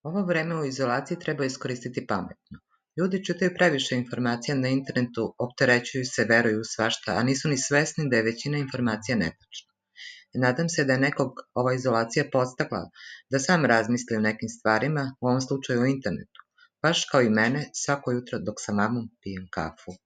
Ovo vreme u izolaciji treba iskoristiti pametno. Ljudi čitaju previše informacija na internetu, opterećuju se, veruju u svašta, a nisu ni svesni da je većina informacija netačna. Nadam se da je nekog ova izolacija podstakla da sam razmisli o nekim stvarima, u ovom slučaju o internetu, baš kao i mene svako jutro dok sa mamom pijem kafu.